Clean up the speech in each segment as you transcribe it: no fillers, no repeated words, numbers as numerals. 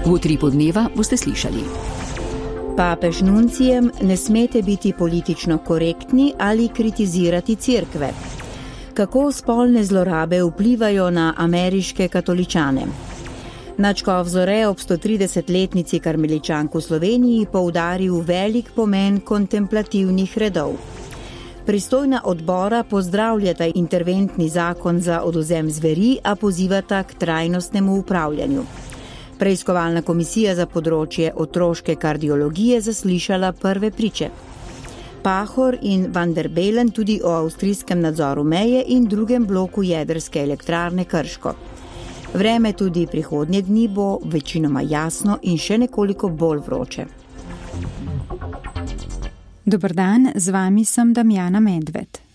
V Utripu dneva boste slišali. Papež nuncijem ne smete biti politično korektni ali kritizirati cerkve. Kako spolne zlorabe vplivajo na ameriške katoličane? Nadškof Zore ob 130-letnici karmeličank v Sloveniji poudaril velik pomen kontemplativnih redov. Pristojna odbora pozdravljata interventni zakon za odvzem zveri, a pozivata k trajnostnemu upravljanju. Preiskovalna komisija za področje otroške kardiologije zaslišala prve priče. Pahor in Van der Bellen tudi o avstrijskem nadzoru meje in drugem bloku jedrske elektrarne Krško. Vreme tudi prihodnje dni bo večinoma jasno in še nekoliko bolj vroče. Dober dan, z vami sem Damjana Medved.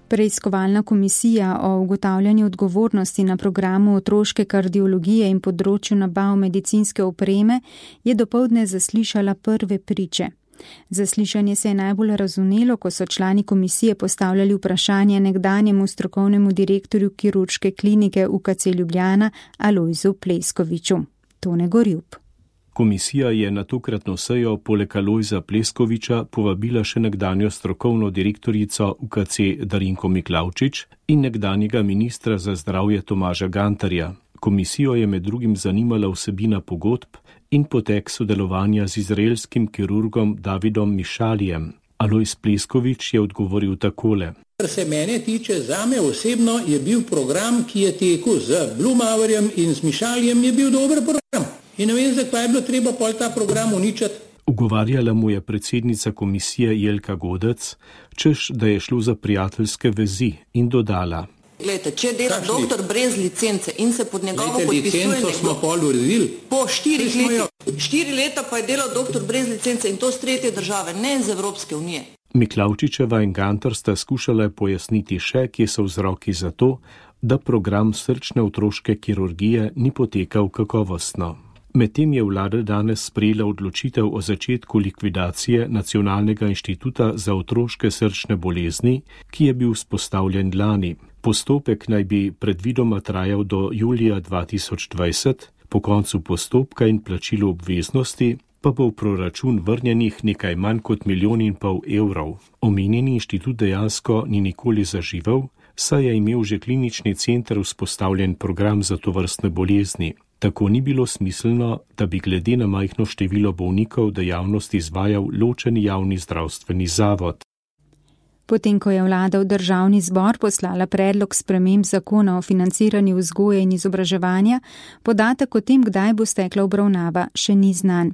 Preiskovalna komisija o ugotavljanju odgovornosti na programu otroške kardiologije in področju nabav medicinske opreme je dopoldne zaslišala prve priče. Zaslišanje se je najbolj razvnelo, ko so člani komisije postavljali vprašanje nekdanjemu strokovnemu direktorju kirurške klinike UKC Ljubljana Alojzu Pleskoviču. Tone Gorjup. Komisija je na tokratno sejo poleg Alojza Pleskoviča povabila še nekdanjo strokovno direktorico UKC Darinko Miklavčič in nekdanjega ministra za zdravje Tomaža Gantarja. Komisijo je med drugim zanimala vsebina pogodb in potek sodelovanja z izraelskim kirurgom Davidom Mišalijem. Alojz Pleskovič je odgovoril takole. Kar se mene tiče, zame osebno je bil program, ki je tekel z Blumauerjem in z Mišalijem, je bil dober program. In ne vem, zakaj je bilo treba pol ta program uničiti. Ugovarjala mu je predsednica komisije Jelka Godec, češ, da je šlo za prijateljske vezi, in dodala. Glejte, če dela doktor brez licence in se pod njegovo podpisuje licenco smo pol uredili. Po 4 letih. 4 leta pa je delal doktor brez licence in to z tretje države, ne z Evropske unije. Miklavčičeva in Gantar sta skušala pojasniti še, kje so vzroki za to, da program srčne otroške kirurgije ni potekal kakovostno. Medtem je vlada danes sprejela odločitev o začetku likvidacije Nacionalnega inštituta za otroške srčne bolezni, ki je bil vzpostavljen lani. Postopek naj bi predvidoma trajal do julija 2020, po koncu postopka in plačilu obveznosti pa bo v proračun vrnjenih nekaj manj kot 1,5 milijona evrov. Omenjeni inštitut dejansko ni nikoli zaživel, saj je imel že klinični center vzpostavljen program za tovrstne bolezni. Tako ni bilo smiselno, da bi glede na majhno število bolnikov dejavnost izvajal ločeni javni zdravstveni zavod. Potem, ko je vlada v državni zbor poslala predlog sprememb zakona o financiranju vzgoje in izobraževanja, podatek o tem, kdaj bo stekla obravnava, še ni znan.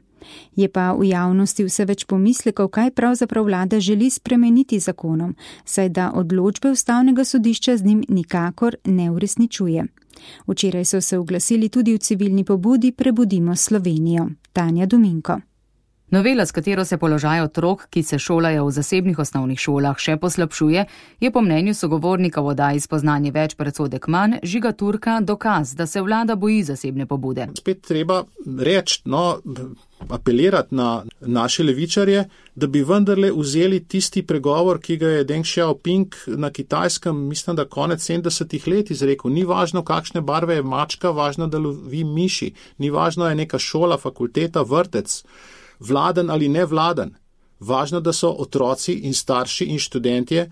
Je pa v javnosti vse več pomislekov, kaj pravzaprav vlada želi spremeniti zakonom, saj da odločbe Ustavnega sodišča z njim nikakor ne uresničuje. Včeraj so se oglasili tudi v civilni pobudi Prebudimo Slovenijo. Tanja Dominko. Novela, s katero se položaj otrok, ki se šolajo v zasebnih osnovnih šolah, še poslabšuje, je po mnenju sogovornika v oddaji Spoznanje več predsodek manj Žiga Turka dokaz, da se vlada boji zasebne pobude. Spet treba reči, apelirati na naše levičarje, da bi vendarle vzeli tisti pregovor, ki ga je Deng Xiaoping na Kitajskem, mislim, da konec 70 let izrekel. Ni važno, kakšne barve je mačka, važno, da lovi miši. Ni važno, je neka šola, fakulteta, vrtec, vladen ali nevladen. Važno, da so otroci in starši in študentje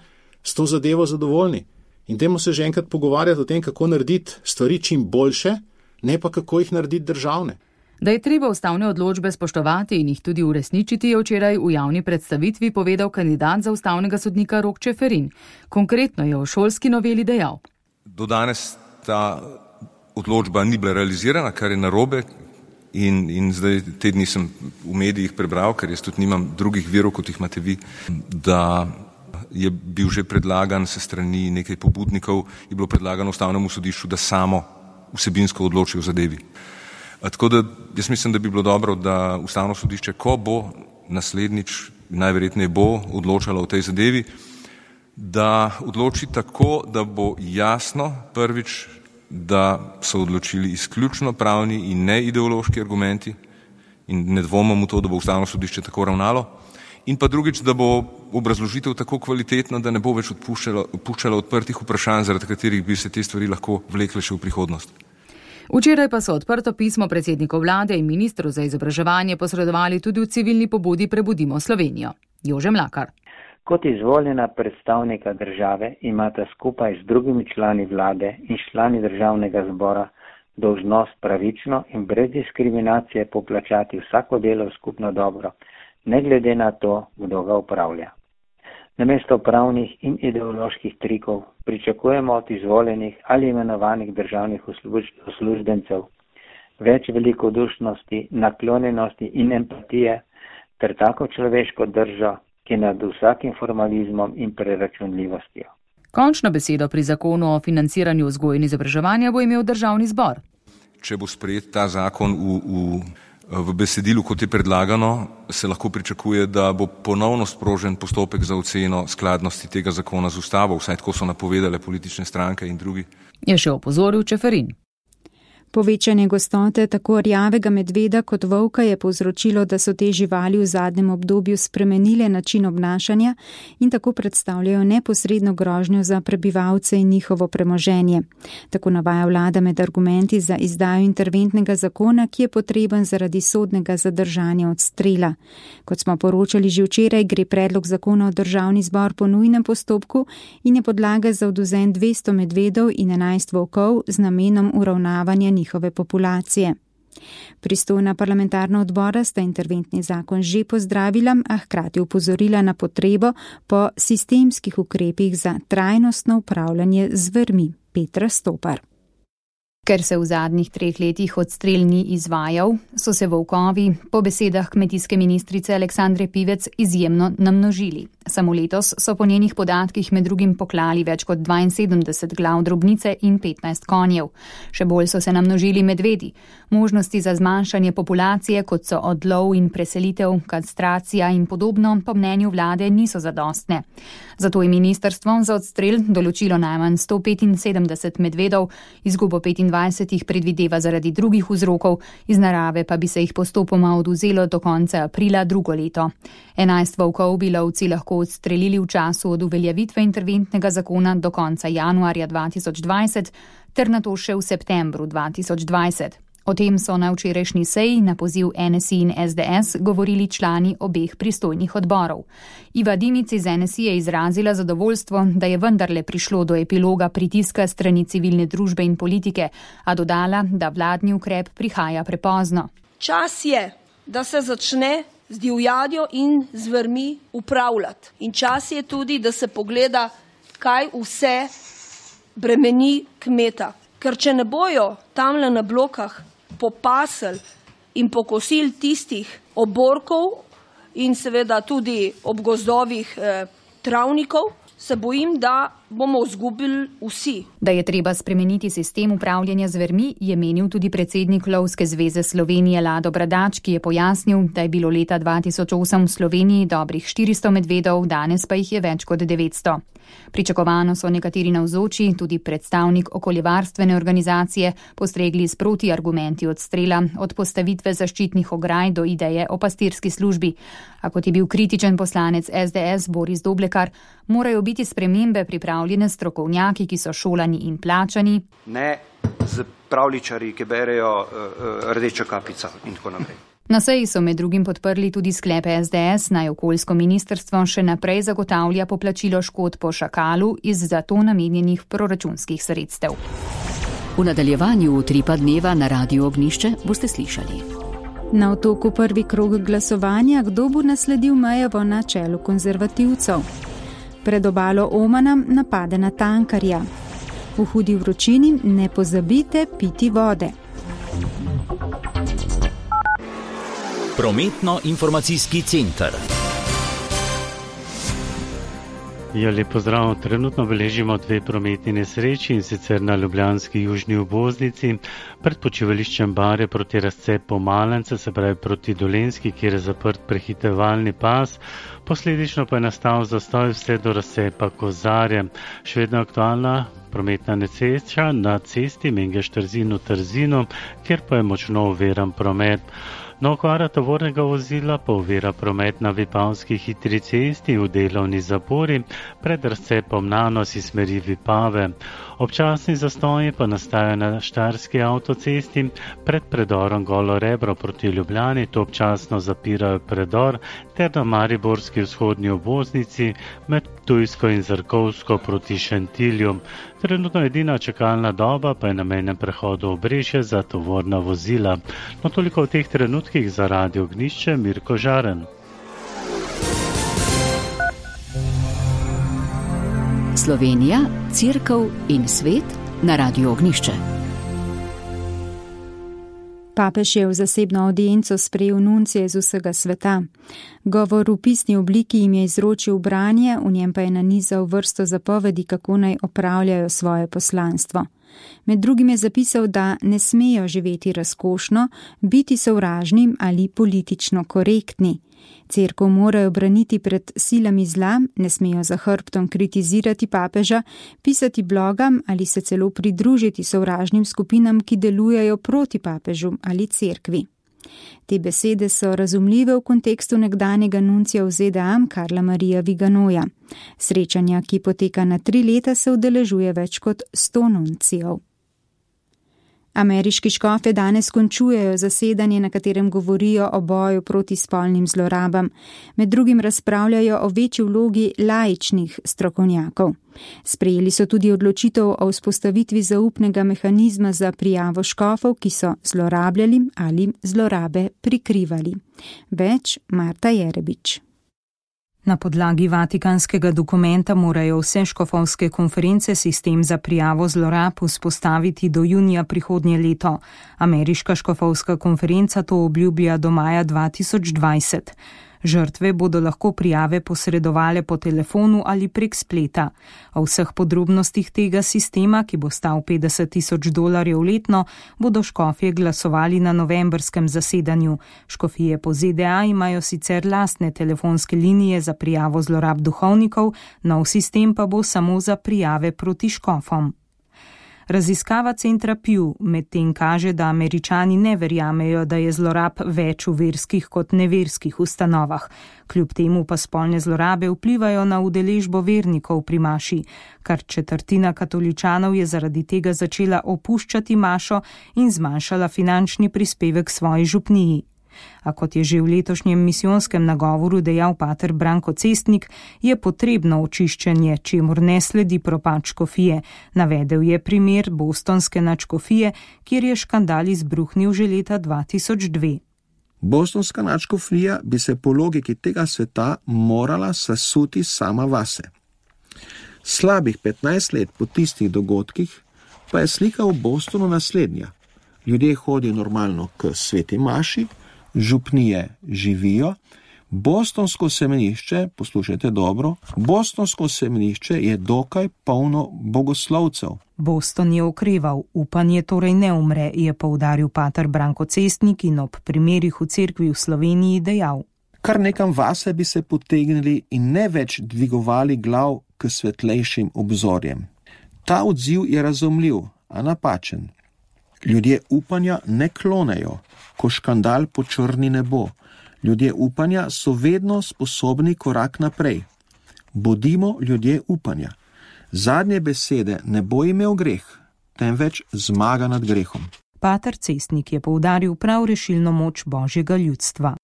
s to zadevo zadovoljni. In dajmo se že enkrat pogovarjati o tem, kako narediti stvari čim boljše, ne pa kako jih narediti državne. Da je treba ustavne odločbe spoštovati in jih tudi uresničiti, je včeraj v javni predstavitvi povedal kandidat za ustavnega sodnika Rok Čeferin. Konkretno je o šolski noveli dejal. Do danes ta odločba ni bila realizirana, kar je narobe in zdaj te dni sem v medijih prebral, ker jaz tudi nimam drugih virov, kot jih imate vi, da je bil že predlagan se strani nekaj pobudnikov, je bilo predlagano Ustavnemu sodišču, da samo vsebinsko odloči o zadevi. Tako da jaz mislim, da bi bilo dobro, da Ustavno sodišče, ko bo naslednjič, najverjetneje bo odločalo o tej zadevi, da odloči tako, da bo jasno prvič, da so odločili izključno pravni in ne ideološki argumenti in ne dvomim v to, da bo Ustavno sodišče tako ravnalo. in pa drugič, da bo obrazložitev tako kvalitetna, da ne bo več odpuščala odprtih vprašanj, zaradi katerih bi se te stvari lahko vlekle še v prihodnost. Včeraj pa so odprto pismo predsedniku vlade in ministru za izobraževanje posredovali tudi v civilni pobudi Prebudimo Slovenijo. Jože Mlakar. Kot izvoljena predstavnika države imata skupaj z drugimi člani vlade in člani državnega zbora dolžnost pravično in brez diskriminacije poplačati vsako delo v skupno dobro, ne glede na to, kdo ga upravlja. Namesto pravnih in ideoloških trikov pričakujemo od izvoljenih ali imenovanih državnih uslužbencev več velikodušnosti, naklonjenosti in empatije ter tako človeško držo, ki je nad vsakim formalizmom in preračunljivostjo. Končno besedo pri zakonu o financiranju vzgoje in izobraževanja bo imel državni zbor. Če bo sprejet ta zakon v besedilu, kot je predlagano, se lahko pričakuje, da bo ponovno sprožen postopek za oceno skladnosti tega zakona z ustavo, vsaj tako so napovedale politične stranke in drugi. Je še opozoril Čeferin. Povečanje gostote tako rjavega medveda kot volka je povzročilo, da so te živali v zadnjem obdobju spremenile način obnašanja in tako predstavljajo neposredno grožnjo za prebivalce in njihovo premoženje. Tako navaja vlada med argumenti za izdajo interventnega zakona, ki je potreben zaradi sodnega zadržanja odstrela. Kot smo poročali že včeraj, gre predlog zakona v državni zbor po nujnem postopku in je podlaga za odvzem 200 medvedov in 11 volkov z namenom uravnavanja njihove populacije. Pristojna parlamentarna odbora sta interventni zakon že pozdravila, a hkrati upozorila na potrebo po sistemskih ukrepih za trajnostno upravljanje z zvermi. Petra Stopar. Ker se v zadnjih 3 letih odstrel ni izvajal, so se volkovi, po besedah kmetijske ministrice Aleksandre Pivec, izjemno namnožili. Samo letos so po njenih podatkih med drugim poklali več kot 72 glav drobnice in 15 konjev. Še bolj so se namnožili medvedi. Možnosti za zmanjšanje populacije, kot so odlov in preselitev, kastracija in podobno, po mnenju vlade niso zadostne. Zato je ministrstvo za odstrel določilo najmanj 175 medvedov, izgubo 25 jih predvideva zaradi drugih vzrokov, iz narave pa bi se jih postopoma odvzelo do konca aprila drugo leto. 11 volkov bi lovci lahko odstrelili v času od uveljavitve interventnega zakona do konca januarja 2020 ter nato še v septembru 2020. O tem so na včerajšnji seji na poziv NSI in SDS govorili člani obeh pristojnih odborov. Iva Dimic iz NSI je izrazila zadovoljstvo, da je vendarle prišlo do epiloga pritiska strani civilne družbe in politike, a dodala, da vladni ukrep prihaja prepozno. Čas je, da se začne z divjadjo in zvermi upravljati. In čas je tudi, da se pogleda, kaj vse bremeni kmeta. Ker če ne bojo tamle na blokah popasel in pokosil tistih oborkov in seveda tudi ob gozdovih travnikov, se bojim, da bomo izgubili vsi. Da je treba spremeniti sistem upravljanja zvermi, je menil tudi predsednik Lovske zveze Slovenije Lado Bradač, ki je pojasnil, da je bilo leta 2008 v Sloveniji dobrih 400 medvedov, danes pa jih je več kot 900. Pričakovano so nekateri navzoči, tudi predstavnik okoljevarstvene organizacije, postregli s protiargumenti odstrela, od postavitve zaščitnih ograj do ideje o pastirski službi. A kot je bil kritičen poslanec SDS Boris Doblekar, morajo biti spremembe pripravljene strokovnjaki, ki so šolani in plačani. Ne z pravličari, ki berejo rdečo kapico in tako naprej. Na seji so med drugim podprli tudi sklepe SDS, naj okoljsko ministrstvo še naprej zagotavlja poplačilo škod po šakalu iz za to namenjenih proračunskih sredstev. V nadaljevanju utripa dneva na Radiu Ognjišče boste slišali. Na Otoku prvi krog glasovanja, kdo bo nasledil Mejevo na čelu konzervativcev. Pred obalo Omana napade na tankarja. V hudi vročini ne pozabite piti vode. Prometno-informacijski center. Lep pozdrav. Trenutno beležimo 2 prometni nesreči, in sicer na ljubljanski južni obvoznici pred počivališčem Bare proti razcepu Malence, se pravi proti Dolenjski, kjer je zaprt prehitevalni pas. Posledično pa je nastal zastoj vse do razcepa Kozarje. Še vedno aktualna prometna nesreča na cesti Mengeš-Trzin v Trzinu, kjer pa je močno oviran promet. No, okvara tovornega vozila pa ovira promet na Vipavski hitri cesti v delovni zapori pred razcepom Nanos iz smeri Vipave. Občasni zastoji pa nastajajo na Štajerski avtocesti pred predorom Golo Rebro proti Ljubljani, to občasno zapirajo predor, ter na Mariborski vzhodni obvoznici med Ptujsko in Zrkovsko proti Šentilju. Trenutno edina čakalna doba pa je na mejnem prehodu Obrežje za tovorna vozila. No, toliko v teh trenutkih za Radio Ognjišče, Mirko Žaren. Slovenija, Cerkev in svet na Radio Ognjišče. Papež je v zasebno audienco sprejel nuncije iz vsega sveta. Govor v pisni obliki jim je izročil branje, v njem pa je nanizal vrsto zapovedi, kako naj opravljajo svoje poslanstvo. Med drugim je zapisal, da ne smejo živeti razkošno, biti sovražni ali politično korektni. Cerkev morajo braniti pred silami zla, ne smejo za hrbtom kritizirati papeža, pisati blogam ali se celo pridružiti sovražnim skupinam, ki delujejo proti papežu ali cerkvi. Te besede so razumljive v kontekstu nekdanjega nuncija v ZDA Karla Marija Viganoja. Srečanja, ki poteka na 3 leta, se udeležuje več kot 100 nuncijev. Ameriški škofe danes končujejo zasedanje, na katerem govorijo o boju proti spolnim zlorabam. Med drugim razpravljajo o večji vlogi laičnih strokovnjakov. Sprejeli so tudi odločitev o vzpostavitvi zaupnega mehanizma za prijavo škofov, ki so zlorabljali ali zlorabe prikrivali. Več Marta Jerebič. Na podlagi vatikanskega dokumenta morajo vse škofovske konference sistem za prijavo zlorab vzpostaviti do junija prihodnje leto. Ameriška škofovska konferenca to obljublja do maja 2020. Žrtve bodo lahko prijave posredovale po telefonu ali prek spleta. O vseh podrobnostih tega sistema, ki bo stal $50,000 letno, bodo škofje glasovali na novembrskem zasedanju. Škofije po ZDA imajo sicer lastne telefonske linije za prijavo zlorab duhovnikov, nov sistem pa bo samo za prijave proti škofom. Raziskava centra Pew medtem kaže, da Američani ne verjamejo, da je zlorab več v verskih kot neverskih ustanovah. Kljub temu pa spolne zlorabe vplivajo na udeležbo vernikov pri maši. Kar 1/4 katoličanov je zaradi tega začela opuščati mašo in zmanjšala finančni prispevek svoji župniji. A kot je že v letošnjem misijonskem nagovoru dejal pater Branko Cestnik, je potrebno očiščenje, čemur ne sledi propad škofije. Navedel je primer bostonske nadškofije, kjer je škandal izbruhnil že leta 2002. Bostonska nadškofija bi se po logiki tega sveta morala sesuti sama vase. Slabih 15 let po tistih dogodkih pa je slika v Bostonu naslednja. Ljudje hodijo normalno k sveti maši, župnije živijo, bostonsko semenišče, poslušajte dobro, bostonsko semenišče je dokaj polno bogoslovcev. Boston je okreval, upanje torej ne umre, je poudaril pater Branko Cestnik in ob primerih v cerkvi v Sloveniji dejal. Kar nekam vase bi se potegnili in ne več dvigovali glav k svetlejšim obzorjem. Ta odziv je razumljiv, a napačen. Ljudje upanja ne klonejo, ko škandal počrni nebo. Ljudje upanja so vedno sposobni korak naprej. Bodimo ljudje upanja. Zadnje besede ne bo imel greh, temveč zmaga nad grehom. Pater Cestnik je poudaril prav rešilno moč Božjega ljudstva.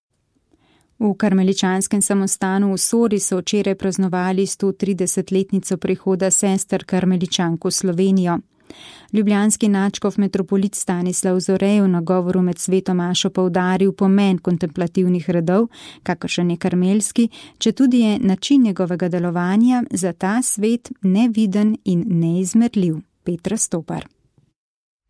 V karmeličanskem samostanu v Sori so včeraj praznovali 130-letnico prihoda sester karmeličank v Slovenijo. Ljubljanski nadškof metropolit Stanislav Zore v nagovoru med sveto mašo poudaril pomen kontemplativnih redov, kakršen je karmelski, četudi je način njegovega delovanja za ta svet neviden in neizmerljiv. Petra Stopar.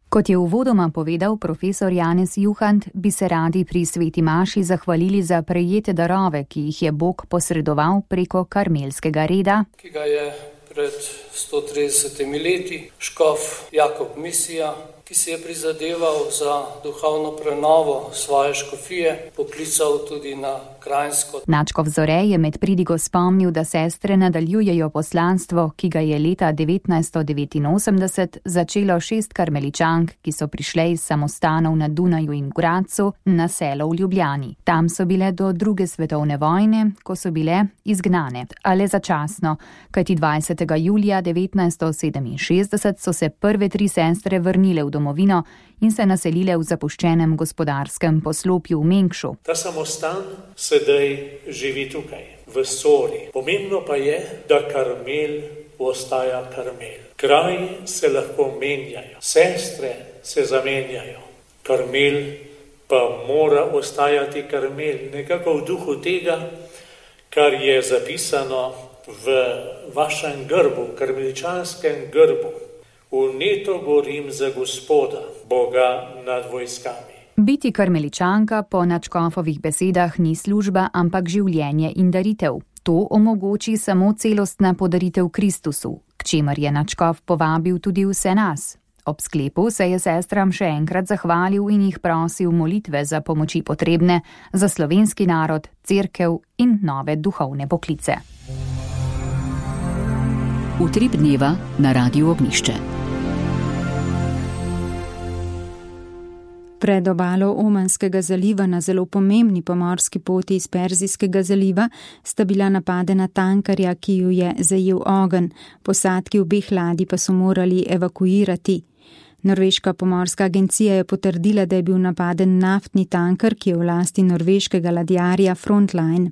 Kot je uvodoma povedal profesor Janez Juhant, bi se radi pri sveti maši zahvalili za prejete darove, ki jih je Bog posredoval preko karmelskega reda, ki ga je pred 130 leti škof Jakob Misija ki si je prizadeval za duhovno prenovo svoje škofije, poklical tudi na krajinsko. Nadškof Zore je med pridigo spomnil, da sestre nadaljujejo poslanstvo, ki ga je leta 1989 začelo 6 karmeličank, ki so prišle iz samostanov na Dunaju in Gradcu na selo v Ljubljani. Tam so bile do 2. svetovne vojne, ko so bile izgnane, ale začasno, kajti 20. julija 1967 so se prve 3 sestre vrnile v domovino in se naselile v zapuščenem gospodarskem poslopju v Mengšu. Ta samostan sedaj živi tukaj, v Sori. Pomembno pa je, da Karmel ostaja Karmel. Kraji se lahko menjajo, sestre se zamenjajo. Karmel pa mora ostajati Karmel, nekako v duhu tega, kar je zapisano v vašem grbu, karmeličanskem grbu. Vneto gorim za Gospoda, Boga nad vojskami. Biti karmeličanka po nadškofovih besedah ni služba, ampak življenje in daritev. To omogoči samo celostna podaritev Kristusu, k čemer je nadškof povabil tudi vse nas. Ob sklepu se je sestram še enkrat zahvalil in jih prosil molitve za pomoči potrebne, za slovenski narod, cerkev in nove duhovne poklice. Utrip dneva na Radiu Ognjišče. Pred obalo Omanskega zaliva na zelo pomembni pomorski poti iz Perzijskega zaliva sta bila napadena tankarja, ki ju je zajel ogenj, posadki obeh ladij pa so morali evakuirati. Norveška pomorska agencija je potrdila, da je bil napaden naftni tanker, ki je v lasti norveškega ladjarja Frontline.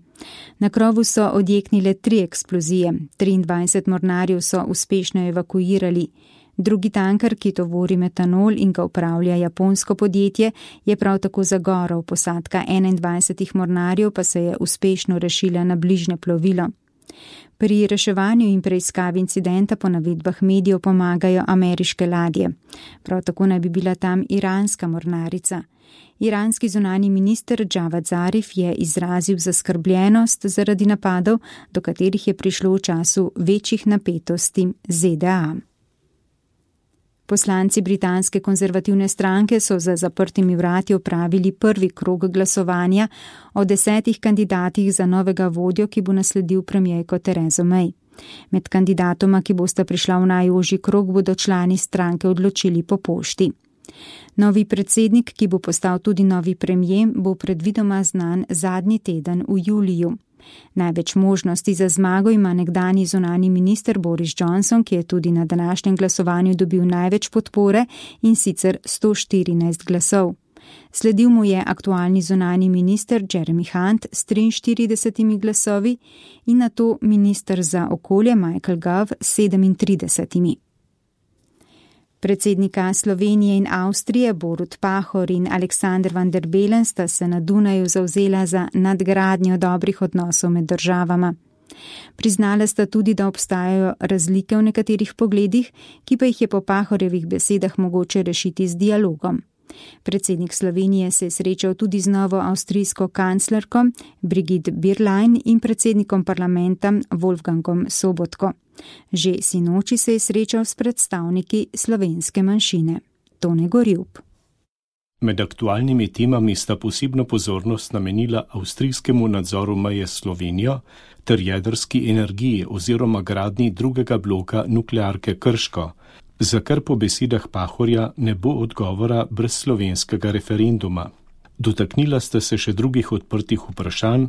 Na krovu so odjeknile 3 eksplozije, 23 mornarjev so uspešno evakuirali. Drugi tanker, ki tovori metanol in ga upravlja japonsko podjetje, je prav tako zagorel, posadka 21 mornarjev pa se je uspešno rešila na bližnje plovilo. Pri reševanju in preiskavi incidenta po navedbah medijev pomagajo ameriške ladje. Prav tako naj bi bila tam iranska mornarica. Iranski zunanji minister Javad Zarif je izrazil zaskrbljenost zaradi napadov, do katerih je prišlo v času večjih napetosti ZDA. Poslanci britanske konzervativne stranke so za zaprtimi vrati opravili prvi krog glasovanja o 10 kandidatih za novega vodjo, ki bo nasledil premierko Terezo May. Med kandidatoma, ki bosta prišla v najožji krog, bodo člani stranke odločili po pošti. Novi predsednik, ki bo postal tudi novi premier, bo predvidoma znan zadnji teden v juliju. Največ možnosti za zmago ima nekdanji zunanji minister Boris Johnson, ki je tudi na današnjem glasovanju dobil največ podpore in sicer 114 glasov. Sledil mu je aktualni zunanji minister Jeremy Hunt s 43 glasovi in nato minister za okolje Michael Gove s 37. Predsednika Slovenije in Avstrije Borut Pahor in Aleksander van der Bellen sta se na Dunaju zavzela za nadgradnjo dobrih odnosov med državama. Priznala sta tudi, da obstajajo razlike v nekaterih pogledih, ki pa jih je po Pahorjevih besedah mogoče rešiti z dialogom. Predsednik Slovenije se je srečal tudi z novo avstrijsko kanclerko Brigitte Bierlein in predsednikom parlamenta Wolfgangom Sobotko. Že sinoči se je srečal s predstavniki slovenske manjšine. Tone Gorjup. Med aktualnimi temami sta posebno pozornost namenila avstrijskemu nadzoru meje s Slovenijo ter jedrski energiji oziroma gradnji drugega bloka nuklearke Krško, za kar po besedah Pahorja ne bo odgovora brez slovenskega referenduma. Dotaknila sta se še drugih odprtih vprašanj,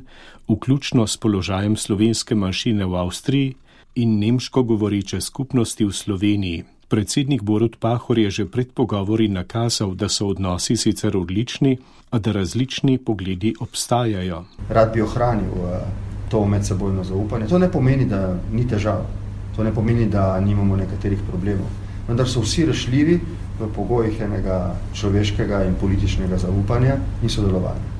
vključno s položajem slovenske manjšine v Avstriji in nemško govoreče skupnosti v Sloveniji. Predsednik Borut Pahor je že pred pogovori nakazal, da so odnosi sicer odlični, a da različni pogledi obstajajo. Rad bi ohranil to medsebojno zaupanje. To ne pomeni, da ni težav. To ne pomeni, da nimamo nekaterih problemov. Vendar so vsi rešljivi v pogojih enega človeškega in političnega zaupanja in sodelovanja.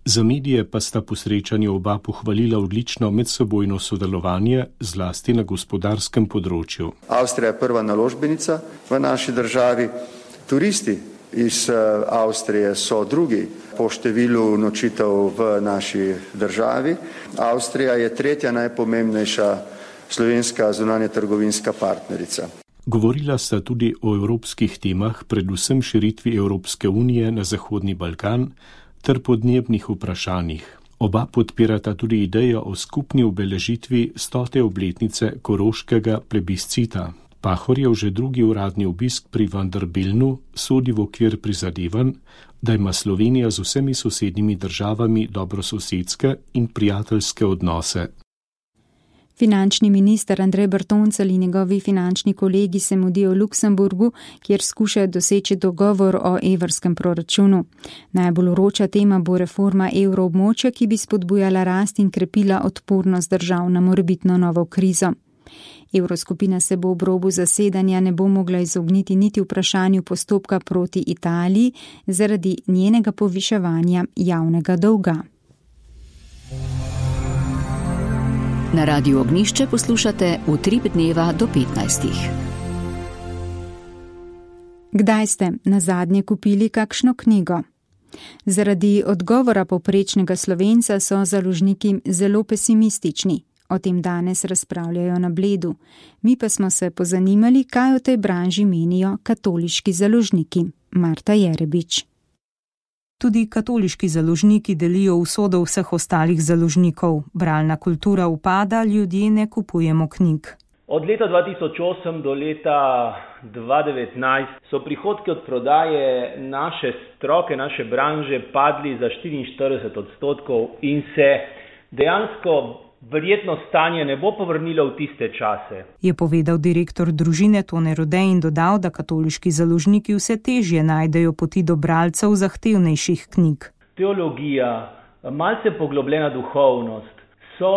Za medije pa sta po srečanju oba pohvalila odlično medsebojno sodelovanje, zlasti na gospodarskem področju. Avstrija je prva naložbenica v naši državi. Turisti iz Avstrije so drugi po številu nočitev v naši državi. Avstrija je tretja najpomembnejša slovenska zunanja trgovinska partnerica. Govorila sta tudi o evropskih temah, predvsem širitvi Evropske unije na Zahodni Balkan ter podnebnih vprašanjih. Oba podpirata tudi idejo o skupni obeležitvi 100. obletnice koroškega plebiscita. Pahorjev že drugi uradni obisk pri Vanderbilnu sodi v okvir prizadevanj, da ima Slovenija z vsemi sosednjimi državami dobrososedske in prijateljske odnose. Finančni minister Andrej Bertoncelj in njegovi finančni kolegi se mudijo v Luksemburgu, kjer skušajo doseči dogovor o evrskem proračunu. Najbolj vroča tema bo reforma evroobmočja, ki bi spodbujala rast in krepila odpornost držav na morebitno novo krizo. Evroskupina se bo ob robu zasedanja ne bo mogla izogniti niti vprašanju postopka proti Italiji zaradi njenega poviševanja javnega dolga. Na Radiu Ognjišče poslušate Utrip dneva do 15. Kdaj ste nazadnje kupili kakšno knjigo? Zaradi odgovora povprečnega Slovenca so založniki zelo pesimistični. O tem danes razpravljajo na Bledu. Mi pa smo se pozanimali, kaj o tej branži menijo katoliški založniki. Marta Jerebič. Tudi katoliški založniki delijo usodo vseh ostalih založnikov. Bralna kultura upada, ljudje ne kupujemo knjig. Od leta 2008 do leta 2019 so prihodki od prodaje naše stroke, naše branže padli za 44% in se dejansko verjetno stanje ne bo povrnilo v tiste čase. Je povedal direktor družine Tone Rode in dodal, da katoliški založniki vse težje najdejo poti do bralcev zahtevnejših knjig. Teologija, malce poglobljena duhovnost, so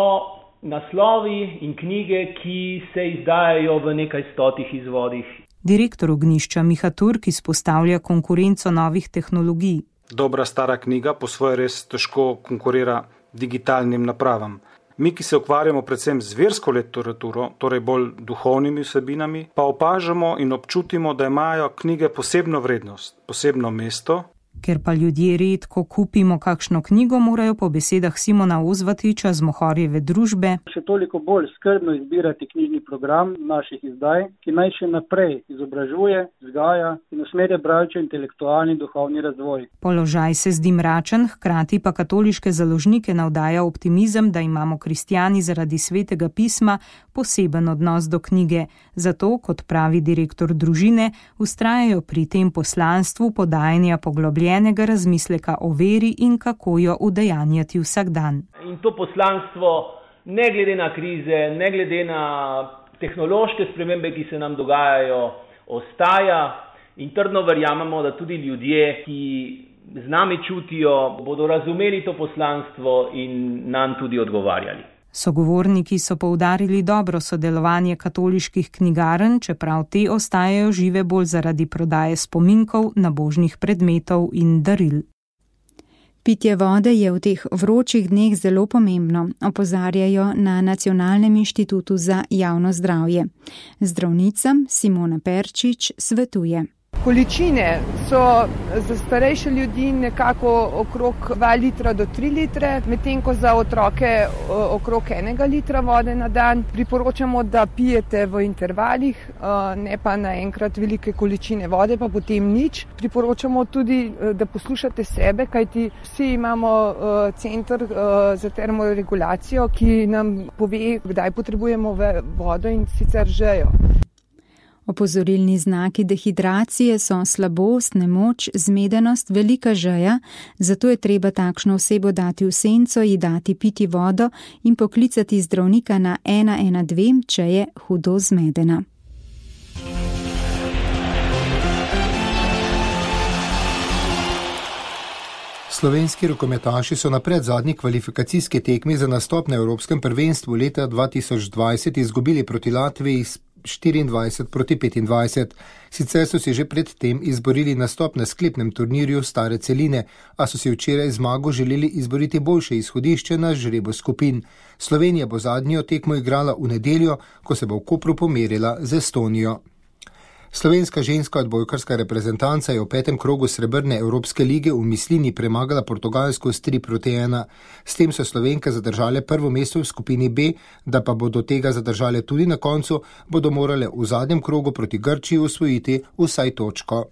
naslovi in knjige, ki se izdajajo v nekaj stotih izvodih. Direktor Ognjišča Miha Turk izpostavlja konkurenco novih tehnologij. Dobra stara knjiga po svoje res težko konkurira digitalnim napravam. Mi, ki se ukvarjamo predvsem z versko literaturo, torej bolj duhovnimi vsebinami, pa opažamo in občutimo, da imajo knjige posebno vrednost, posebno mesto. Ker pa ljudje redko kupimo kakšno knjigo, morajo po besedah Simona Ozvatiča z Mohorjeve družbe še toliko bolj skrbno izbirati knjižni program naših izdaj, ki naj še naprej izobražuje, vzgaja in usmerja bralce v intelektualni in duhovni razvoj. Položaj se zdi mračen, hkrati pa katoliške založnike navdaja optimizem, da imamo kristjani zaradi svetega pisma poseben odnos do knjige. Zato, kot pravi direktor družine, vztrajajo pri tem poslanstvu podajanja poglobljenega razmisleka o veri in kako jo udejanjati vsak dan. In to poslanstvo, ne glede na krize, ne glede na tehnološke spremembe, ki se nam dogajajo, ostaja in trdno verjamemo, da tudi ljudje, ki z nami čutijo, bodo razumeli to poslanstvo in nam tudi odgovarjali. Sogovorniki so poudarili dobro sodelovanje katoliških knjigarn, čeprav te ostajajo žive bolj zaradi prodaje spominkov, nabožnih predmetov in daril. Pitje vode je v teh vročih dneh zelo pomembno, opozarjajo na Nacionalnem inštitutu za javno zdravje. Zdravnica Simona Perčič svetuje. Količine so za starejše ljudi nekako okrog 2 litra do 3 litre, medtem ko za otroke okrog 1 litra vode na dan. Priporočamo, da pijete v intervalih, ne pa naenkrat velike količine vode, pa potem nič. Priporočamo tudi, da poslušate sebe, kajti vsi imamo center za termoregulacijo, ki nam pove, kdaj potrebujemo vodo in sicer žejo. Opozorilni znaki dehidracije so slabost, nemoč, zmedenost, velika žeja, zato je treba takšno osebo dati v senco, ji dati piti vodo in poklicati zdravnika na 112, če je hudo zmedena. Slovenski rokometaši so na predzadnji kvalifikacijski tekmi za nastop na Evropskem prvenstvu leta 2020 izgubili proti Latviji 24-25. Sicer so si že pred tem izborili nastop na sklepnem turnirju Stare celine, a so si včeraj zmago želeli izboriti boljše izhodišče na žrebu skupin. Slovenija bo zadnjo tekmo igrala v nedeljo, ko se bo v Kopru pomerila z Estonijo. Slovenska ženska odbojkarska reprezentanca je v 5. krogu srebrne Evropske lige v Mislini premagala Portugalsko s 3-1. S tem so Slovenke zadržale prvo mesto v skupini B, da pa bodo tega zadržale tudi na koncu, bodo morale v zadnjem krogu proti Grčiji osvojiti vsaj točko.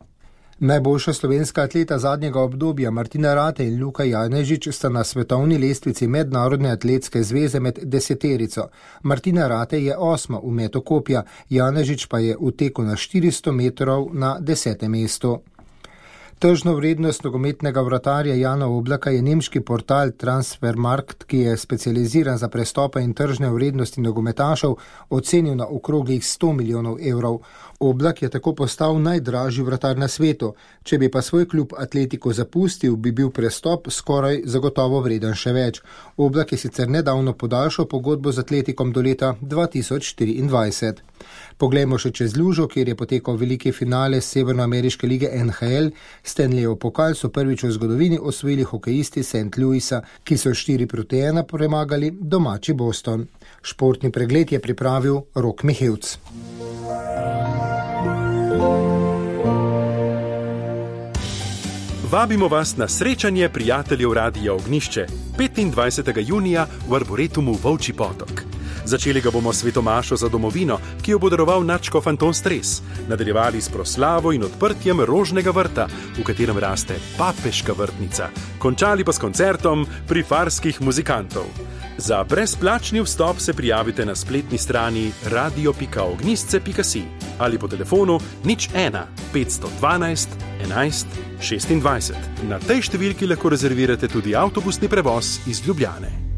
Najboljša slovenska atleta zadnjega obdobja Martina Ratej in Luka Janežič sta na svetovni lestvici Mednarodne atletske zveze med 10. Martina Ratej je 8. v metu kopja, Janežič pa je v teku na 400 metrov na 10. mestu. Tržno vrednost nogometnega vratarja Jana Oblaka je nemški portal Transfermarkt, ki je specializiran za prestope in tržne vrednosti nogometašev, ocenil na okroglih 100 milijonov evrov. Oblak je tako postal najdražji vratar na svetu. Če bi pa svoj klub Atletico zapustil, bi bil prestop skoraj zagotovo vreden še več. Oblak je sicer nedavno podaljšal pogodbo z Atletikom do leta 2024. Poglejmo še čez lužo, kjer je potekal veliki finale Severnoameriške lige NHL. Stanleyjev pokal so prvič v zgodovini osvojili hokejisti St. Louisa, ki so 4-1 premagali domači Boston. Športni pregled je pripravil Rok Mihevc. Vabimo vas na srečanje prijateljev Radia Ognišče 25. junija v Arboretumu Volčji potok. Začeli ga bomo s svetomašo za domovino, ki jo bo daroval nadškof Anton Stres. Nadaljevali s proslavo in odprtjem rožnega vrta, v katerem raste papeška vrtnica. Končali pa s koncertom prifarskih muzikantov. Za brezplačni vstop se prijavite na spletni strani radio.ognisce.si ali po telefonu 01 512 11 26. Na tej številki lahko rezervirate tudi avtobusni prevoz iz Ljubljane.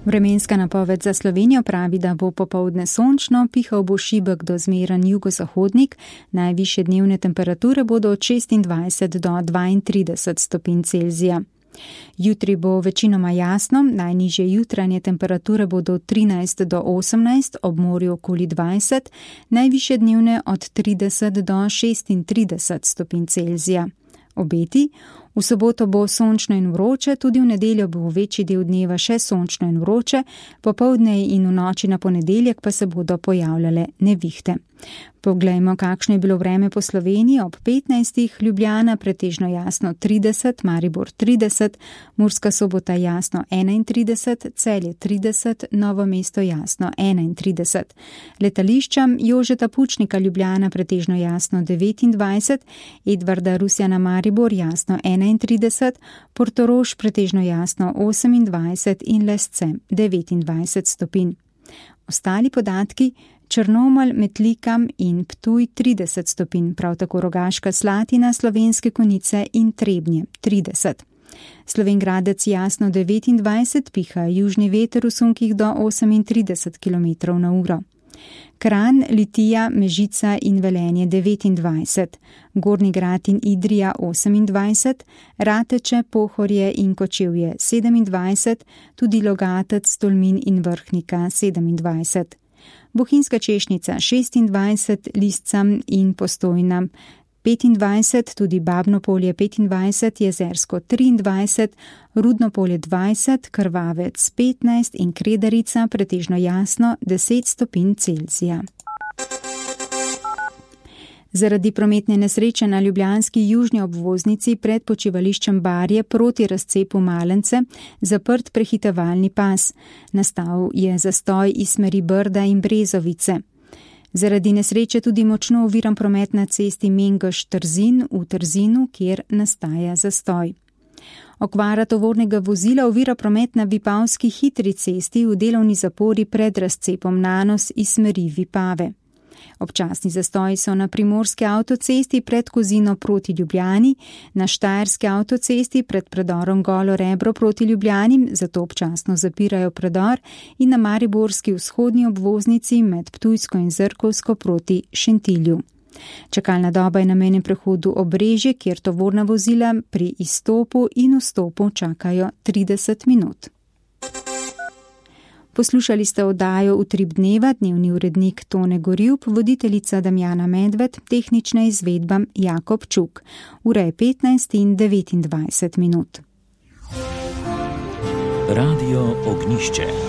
Vremenska napoved za Slovenijo pravi, da bo popoldne sončno, pihal bo šibek do zmeren jugozahodnik, najvišje dnevne temperature bodo od 26 do 32 stopinj Celzija. Jutri bo večinoma jasno, najnižje jutranje temperature bodo od 13 do 18, ob morju okoli 20, najvišje dnevne od 30 do 36 stopinj Celzija. Obeti: v soboto bo sončno in vroče, tudi v nedeljo bo v večji del dneva še sončno in vroče, popoldne in v noči na ponedeljek pa se bodo pojavljale nevihte. Poglejmo, kakšno je bilo vreme po Sloveniji ob 15. Ljubljana pretežno jasno 30, Maribor 30, Murska Sobota jasno 31, Celje 30, Novo mesto jasno 31. Letališča Jožeta Pučnika Ljubljana pretežno jasno 29, Edvarda Rusjana Maribor jasno 31, Portorož pretežno jasno 28 in Lesce 29 stopinj. Ostali podatki: Črnomelj, Metlika in Ptuj 30 stopinj, prav tako Rogaška Slatina, Slovenske Konjice in Trebnje 30. Slovenjgradec jasno 29, piha južni veter v sunkih do 38 km/h. Kranj, Litija, Mežica in Velenje 29, Gornji Grad in Idrija 28, Rateče, Pohorje in Kočevje 27, tudi Logatec, Tolmin in Vrhnika 27. Bohinjska Češnica 26, Lisca in Postojna 25, tudi Babno Polje 25, Jezersko 23, Rudno Polje 20, Krvavec 15 in Kredarica pretežno jasno 10 stopinj Celzija. Zaradi prometne nesreče na ljubljanski južni obvoznici pred počivališčem Barje proti razcepu Malence zaprt prehitevalni pas. Nastal je zastoj iz smeri Brda in Brezovice. Zaradi nesreče tudi močno oviran promet na cesti Mengeš-Trzin v Trzinu, kjer nastaja zastoj. Okvara tovornega vozila ovira promet na Vipavski hitri cesti v delovni zapori pred razcepom Nanos iz smeri Vipave. Občasni zastoji so na primorski avtocesti pred Kozino proti Ljubljani, na štajerski avtocesti pred predorom Golo Rebro proti Ljubljani, zato občasno zapirajo predor, in na mariborski vzhodni obvoznici med Ptujsko in Zrkovsko proti Šentilju. Čakalna doba je na mejnem prehodu Obrežje, kjer tovorna vozila pri izstopu in vstopu čakajo 30 minut. Poslušali ste oddajo Utrip dneva, dnevni urednik Tone Gorjup, voditeljica Damjana Medved, tehnična izvedba Jakob Čuk. Ura je 15 in 29 minut. Radio Ognišče.